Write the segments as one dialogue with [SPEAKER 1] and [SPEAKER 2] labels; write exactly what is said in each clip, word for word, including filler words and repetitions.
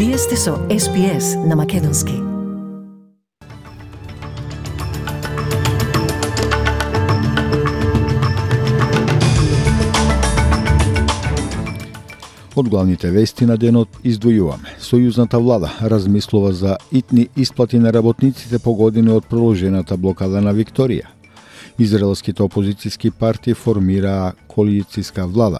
[SPEAKER 1] Вие сте со Ес Би Ес на Македонски.
[SPEAKER 2] Од главните вести на денот издвојуваме. Сојузната влада размислува за итни исплати на работниците по години од продолжената блокада на Викторија. Израелските опозицијски партии формираа коалицијска влада.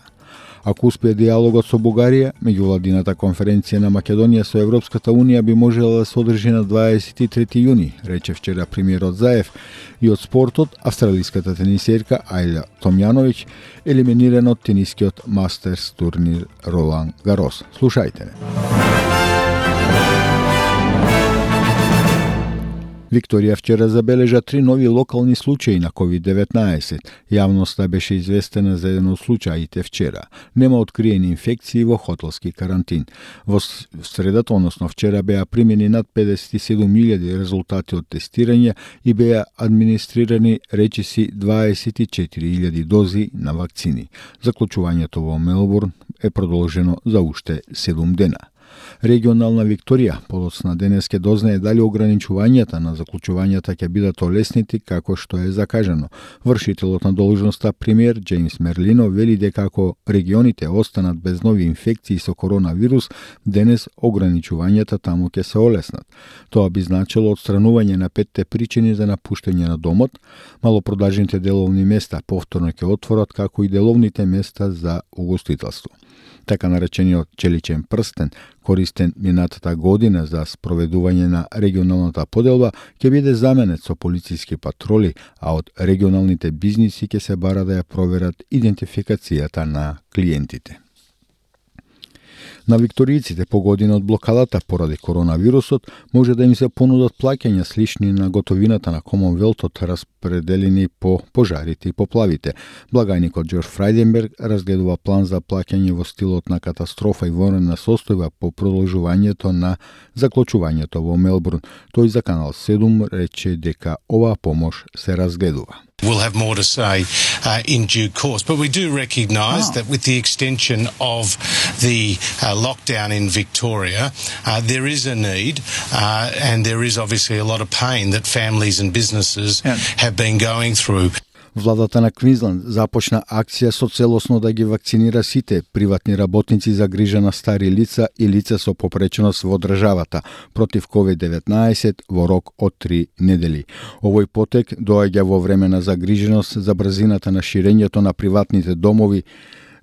[SPEAKER 2] Ако успее диалогот со Бугарија, меѓувладината конференција на Македонија со Европската Унија би можела да се одржи на дваесет и трети јуни, рече вчера премиерот Заев. И од спортот, австралиската тенисерка Ајла Томјановиќ елиминирана од тенискиот мастерс турнир Ролан Гарос. Слушајте не. Викторија вчера забележа три нови локални случаи на ковид деветнаесет. Јавноста беше известена за еден од случаите вчера. Нема откриени инфекции во хотелски карантин. Во средата, односно вчера, беа примени над педесет и седум илјади резултати од тестирање и беа администрирани речиси дваесет и четири илјади дози на вакцини. Заклучувањето во Мелбурн е продолжено за уште седум дена. Регионална Викторија подоцна денес ќе дознае дали ограничувањата на заклучувањата ќе бидат олеснити како што е закажано. Вршителот на должноста премиер Џејмс Мерлино вели дека ако регионите останат без нови инфекции со коронавирус, денес ограничувањата таму ќе се олеснат. Тоа би значило отстранување на петте причини за напуштање на домот, малопродажните деловни места повторно ќе отворат, како и деловните места за угостителство. Така наречениот челичен прстен, користен минатата година за спроведување на регионалната поделба, ќе биде заменет со полициски патроли, а од регионалните бизниси ќе се бара да ја проверат идентификацијата на клиентите. На викторијците погодени од блокадата поради коронавирусот може да им се понудат плаќања слични на готовината на Комонвелтот, распределени по пожарите и поплавите. Благајникот Џорџ Фрајденберг разгледува план за плаќање во стилот на катастрофа и военна состојба по продолжувањето на заклучувањето во Мелбурн. Тој за Канал седум рече дека оваа помош се разгледува.
[SPEAKER 3] We'll have more to say uh, in due course. But we do recognise oh. that with the extension of the uh, lockdown in Victoria, uh, there is a need uh, and there is obviously a lot of pain that families and businesses yeah. have been going through.
[SPEAKER 2] Владата на Квинсленд започна акција со целосно да ги вакцинира сите приватни работници за грижа на стари лица и лица со попреченост во државата против ковид деветнаесет во рок од три недели. Овој потек доаѓа во време на загриженост за брзината на ширењето на приватните домови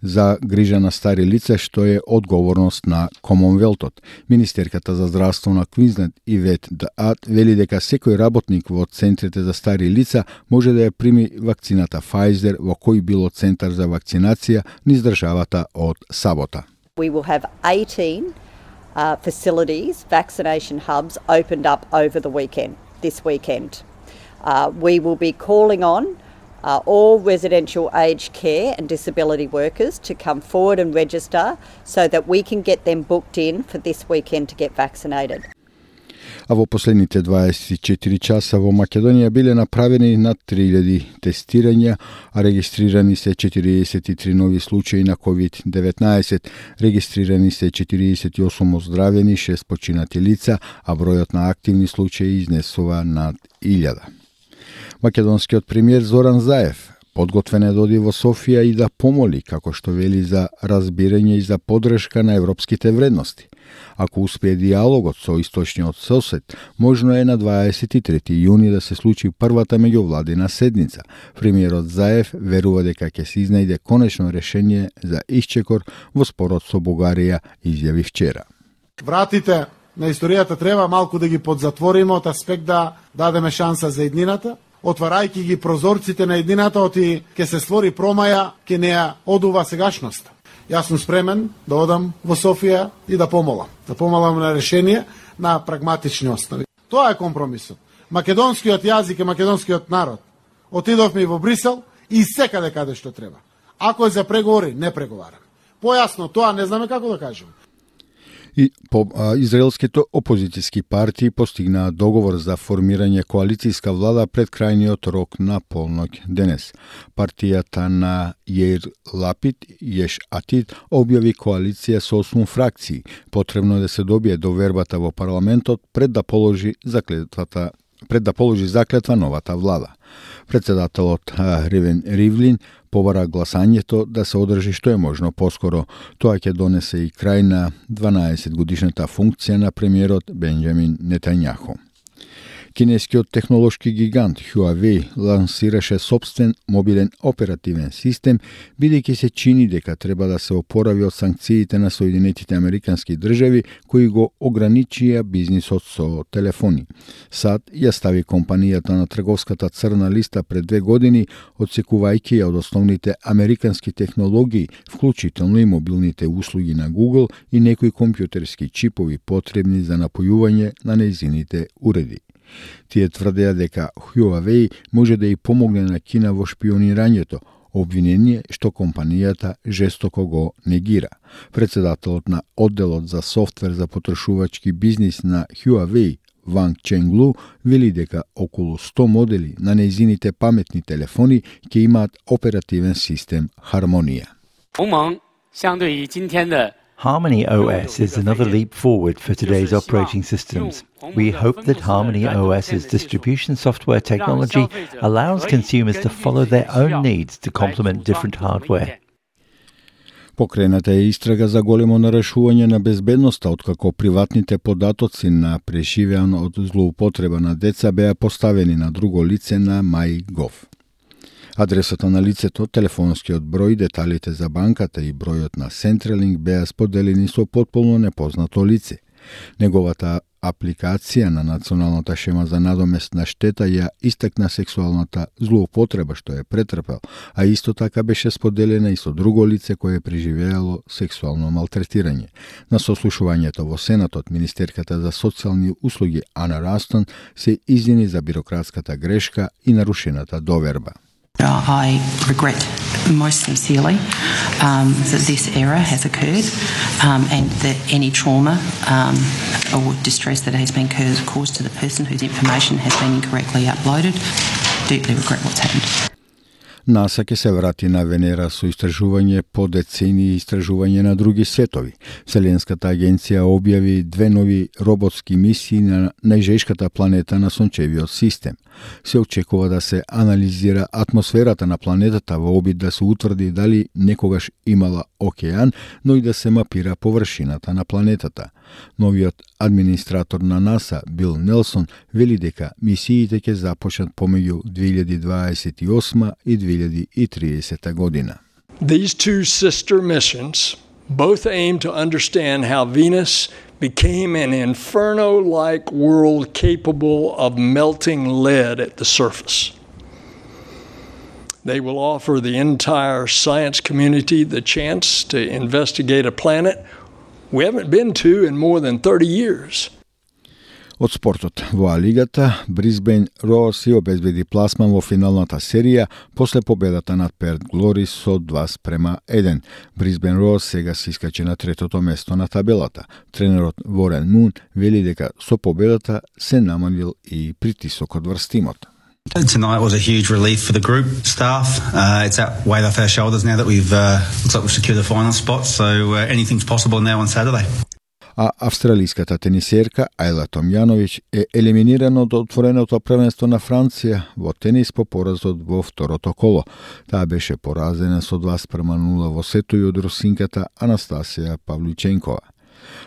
[SPEAKER 2] за грижа на стари лица, што е одговорност на Комонвелтот. Министерката за здравство на Квинсленд Ивет Даат вели дека секој работник во центрите за стари лица може да ја прими вакцината Pfizer во кој било центар за вакцинација низ државата од сабота.
[SPEAKER 4] We will have eighteen uh, facilities, vaccination hubs opened up over the weekend, this weekend. Uh, we will be calling on Uh, all residential aged care and disability workers to come forward and register so that we can get them booked in for this weekend to get vaccinated.
[SPEAKER 2] А во последните дваесет и четири часа во Македонија биле направени над три илјади тестирања, а регистрирани се четириесет и три нови случаи на ковид деветнаесет. Регистрирани се четириесет и осум оздравени, шест починати лица, а бројот на активни случаи изнесува над илјада. Македонскиот премиер Зоран Заев подготвен е да оди во Софија и да помоли, како што вели, за разбирање и за поддршка на европските вредности. Ако успее диалогот со источниот сосед, можно е на дваесет и трети јуни да се случи првата меѓувладина седница. Премиерот Заев верува дека ќе се изнајде конечно решение за исчекор во спорот со Бугарија, изјави вчера.
[SPEAKER 5] Вратите на историјата треба малку да ги подзатвориме од аспект да дадеме шанса за еднината, отварајќи ги прозорците на еднината, оти ќе се створи промаја, ќе не ја одува сегашноста. Јас сум спремен да одам во Софија и да помолам. Да помолам на решение на прагматични основи. Тоа е компромисот. Македонскиот јазик и македонскиот народ. Отидовме и во Брисел и секаде каде што треба. Ако е за преговори, не преговараме. Појасно тоа не знаме како да кажеме.
[SPEAKER 2] И по а, израелските опозицијски партии постигнаа договор за формирање коалицијска влада пред крајниот рок на полноќ денес. Партијата на Јеир Лапид, Јеш Атид, објави коалиција со осум фракции. Потребно е да се добие довербата во парламентот пред да положи заклетвата пред да положи заклетва новата влада. Председателот Ревен Ривлин побара гласањето да се одржи што е можно поскоро. Тоа ќе донесе и крај на дванаесет годишната функција на премиерот Бенџамин Нетањаху. Кинескиот технолошки гигант Huawei лансираше собствен мобилен оперативен систем, бидејќи се чини дека треба да се опорави од санкциите на Соединетите Американски држави кои го ограничија бизнисот со телефони. САД ја стави компанијата на трговската црна листа пред две години, одсекувајќи ја од основните американски технологии, вклучително и мобилните услуги на Google и некои компјутерски чипови потребни за напојување на нејзините уреди. Тие тврдеа дека Huawei може да и помогне на Кина во шпионирањето, обвинение што компанијата жестоко го негира. Председателот на одделот за софтвер за потрошувачки бизнис на Huawei, Ванг Ченглу, вели дека околу сто модели на нејзините паметни телефони ќе имаат оперативен систем Хармонија.
[SPEAKER 6] Harmony O S is another leap forward for today's operating systems. We hope that Harmony OS's distribution software technology allows consumers to follow their own needs to complement different hardware.
[SPEAKER 2] Покрената е истрага за големо нарушување на безбедноста, откако приватните податоци на преживеан од злоупотреба на деца беа поставени на друго лице на MyGov. Адресата на лицето, телефонскиот број, деталите за банката и бројот на Centrelink беа споделени со потполно непознато лице. Неговата апликација на националната шема за надомест на штета ја истакна сексуалната злоупотреба што е претрпел, а исто така беше споделена и со друго лице кое е преживеало сексуално малтретирање. На сослушувањето во Сенатот, министерката за социјални услуги Ана Растон се извини за бирократската грешка и нарушената доверба.
[SPEAKER 7] I regret most sincerely um, that this error has occurred um, and that any trauma um, or distress that has been caused to the person whose information has been incorrectly uploaded. Deeply regret what's happened.
[SPEAKER 2] НАСА ќе се врати на Венера со истражување по децении истражување на други светови. Вселенската агенција објави две нови роботски мисии на најжешката планета на Сончевиот систем. Се очекува да се анализира атмосферата на планетата во обид да се утврди дали некогаш имала океан, но и да се мапира површината на планетата. Новиот администратор на НАСА, Бил Нелсон, вели дека мисиите ќе започнат помеѓу две илјади дваесет и осма и две илјади и триесета година.
[SPEAKER 8] These two sister missions both aim to understand how Venus became an inferno-like world capable of melting lead at the surface. They will offer the entire science community the chance to investigate a planet we haven't been to in more than thirty years.
[SPEAKER 2] Од спортот во А-лигата, Брисбен Роуз си обезбеди пласман во финалната серија после победата над Перт Глори со два спрема еден. Брисбен Роуз сега се искачи на третото место на табелата. Тренерот Ворен Мун вели дека со победата се намалил и притисокот врз тимот.
[SPEAKER 9] Tonight was a huge relief for the group staff. Uh, it's out way off our shoulders now that we've uh, looks like we've secured the final spot. So uh, anything's possible now on Saturday.
[SPEAKER 2] А австралиската тенисерка Ајла Томјановиќ е елиминирана од отвореното првенство на Франција во тенис по поразот во второто коло. Таа беше поразена со два спрема нула во сетој од русинката Анастасија Павличенкова.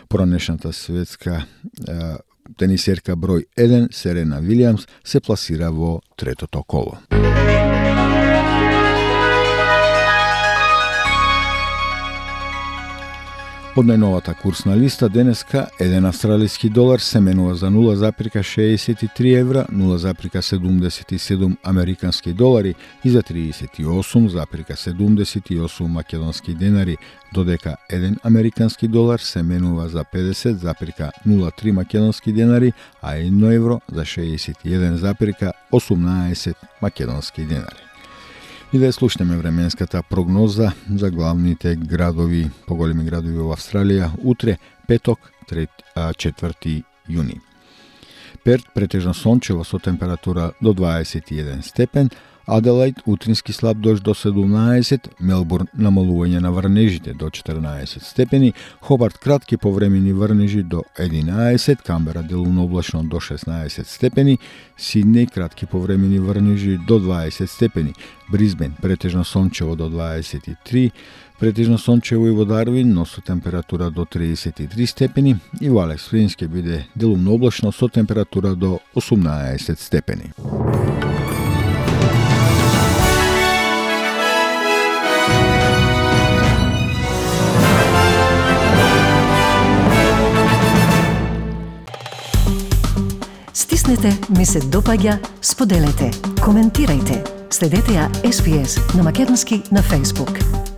[SPEAKER 2] Поранешната светска е, тенисерка број еден Серена Вилијамс се пласира во третото коло. Од најновата курсна листа денеска еден австралиски долар се менува за нула запирка шеесет и три евра, нула запирка седумдесет и седум американски долари и за триесет и осум запирка седумдесет и осум македонски денари, додека еден американски долар се менува за педесет запирка нула три македонски денари, а едно евро за шеесет и еден запирка осумнаесет македонски денари. И да слушнеме временската прогноза за главните градови, поголеми градови во Австралија, утре, петок, четврти јуни. Перт претежно сончево со температура до дваесет и еден степен, Аделаид утрински слаб дожд до седумнаесет, Мелбурн намалување на врнежите до четрнаесет степени, Хобарт кратки повремени врнежи до единаесет, Камбера делумно облачно до шеснаесет степени, Сиднеј кратки повремени врнежи до дваесет степени, Брисбен претежно сончево до дваесет и три, претежно сончево и во Дарвин, но со температура до триесет и три степени, и во Алекс Флинс ќе биде делумно облачно со температура до осумнаесет степени.
[SPEAKER 1] Стиснете, ми се допаѓа, споделете, коментирајте. Следете ја Ес Би Ес на македонски на Facebook.